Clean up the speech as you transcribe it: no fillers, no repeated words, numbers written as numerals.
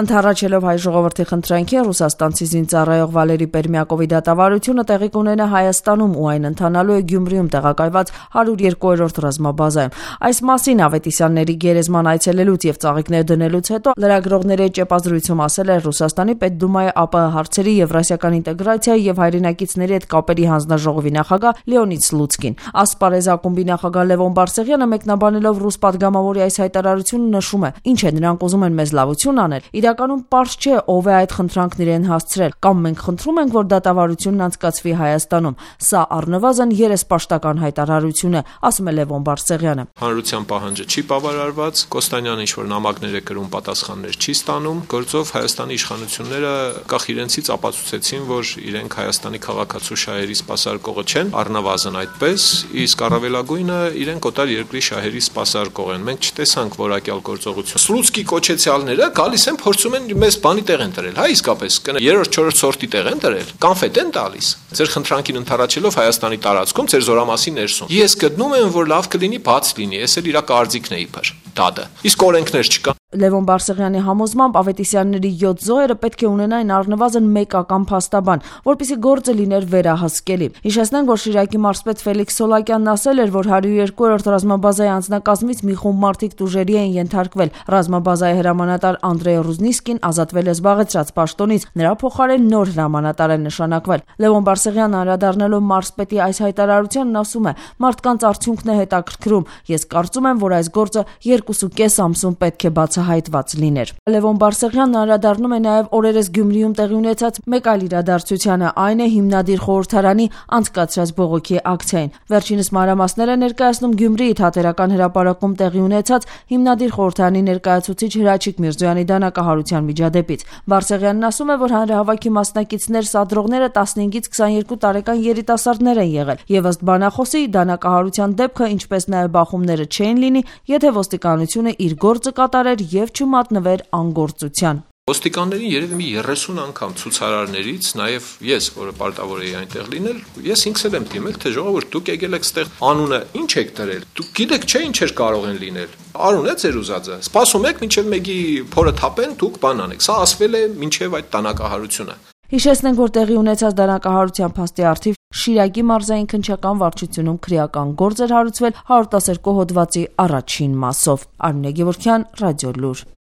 Ընդառաջելով հայ ժողովրդի խնդրանքին, ռուսաստանցի զինծառայող Վալերի Պերմյակովի դատավարությունը տեղի կունենա Հայաստանում ու այն ընթանալու է Գյումրիում տեղակայված 102-րդ ռազմաբազայում։ Այս մասին Ավետիսյանների գերեզման այցելելուց եւ ծաղիկներ դնելուց հետո լրագրողների ճեպազրույցում ասել է Ռուսաստանի Պետդումայի ԱՊՀ հարցերի եվրասիական ինտեգրացիայի եւ հայրենակիցների հետ կապերի հանձնաժողովի նախագահ Լեոնիդ Սլուցկին։ Ասպարեզ ակումբի նախագահ Լևոն Բարսեղյանը մեկնաբանելով ռուս падգամավորի այս հայտարարությունը նշում է. «Ինչ է, նրանք ուզում են մեզ լավություն անել։ Իրականում պարզ չէ ով է այդ խնդրանքն իրեն հասցրել, կամ մենք խնդրում ենք, որ դատավարությունն անցկացվի Հայաստանում։ Սա առնվազն երեսպաշտական հայտարարություն է», ասում է Լևոն Բարսեղյանը։ Հանրության պահանջը չի բավարարված, Կոստանյանը ինչ-որ նամակներ է գրում, պատասխաններ չի ստանում, գործով Հայաստանի իշխանությունները կախ իրենցից ապացուցեցին, որ իրենք Հայաստանի քաղաքացու շահերի սպասարկողը չեն, առնվազն այդպես, իսկ առավելագույնը իրենք օտար երկրի շահերի սպասարկող են։ Մենք չտեսանք որակյալ գործողություն։ Սլուցկի կոչեցյալները գալիս են փորձում են մեզ բանի տեղ են դրել, հա իսկապես, 3-4 սորտի տեղ են դրել, կանֆետ են տալիս։ Ձեր խնդրանքին ընդառաջելով Հայաստանի տարածքում, ձեր զորամասի ներսում։ Ես գտնում եմ, որ լավ կլինի բաց լինի, ես էլ իրա կարծիքն է իբր դադը։ Իսկ օրենքներ չկան։ Լևոն Բարսեղյանի համոզմամբ Ավետիսյանների 7 զոհերը պետք է ունենային առնվազն մեկական փաստաբան, որպեսզի գործը լիներ վերահսկելի։ Հիշեցնենք, որ Շիրակի մարզպետ Ֆելիքս Սոլակյանն ասել էր, որ 102-րդ ռազմաբազայի անձնակազմից մի խումբ մարդիկ տուժերի են ենթարկվել։ Ռազմաբազայի հրամանատար Անդրեյ Ռուզնիսկին ազատվել է զբաղեցրած պաշտոնից, նրա փոխարեն նոր հրամանատար է նշանակվել։ Լևոն Բարսեղյանը անդրադառնալով մարզպետի այս հայտարարությանն ասում է. «Մարդկանց արդյունքն է հետաքրքրում։ Ես կարծում եմ, որ այս գործը 2.5 ամսում պետք է հայտված լիներ»։ Լևոն Բարսեղյանն անդրադառնում է նաև օրերս Գյումրիում տեղի ունեցած մեկ այլ իրադարձությանը, այն է հիմնադիր խորհրդարանի անցկացրած բողոքի ակցիային։ Վերջինս մանրամասներ է ներկայացնում Գյումրիի Թատերական հրապարակում տեղի ունեցած հիմնադիր խորհրդարանի ներկայացուցիչ Հրաչիկ Միրզոյանի դանակահարության միջադեպից։ Բարսեղյանն ասում է, որ հանրահավաքի մասնակիցներ սադրողները 15-ից 22 տարեկան երիտասարդներ են եղել, եւ ըստ բանախոսի դանակահարության դեպքը, ինչպես նաև բախումները չէին լինի, եթե ոստիկանությունը իր գործը կատարեր եւ չմատնվեր անգործության։ Ոստիկաններին երևի մի 30 անգամ ցուցարարներից, նաև ես, որը պարտավոր էի այնտեղ լինել, ես ինքս եմ դիմել, թե ժողովուրդ, դուք եկել եք ստեղ անունը ինչ եք դրել։ Դուք գիտեք չէ ինչեր կարող են լինել։ Արուն է ձեր ուզածը։ Սպասում եք մինչև մեկի փորը թափեն, դուք բան անեք։ Սա ասվել է մինչև այդ տանակահարությունը։ Հիշեցնենք, որ տեղի ունեցած դանակահարության փաստի առթիվ Շիրակի մարզային քննչական վարչությունում քրեական գործ էր հարուցվել 112 հոդվածի առաջին մասով։ Արմինե Գևորգյան, Ռադիոլուր։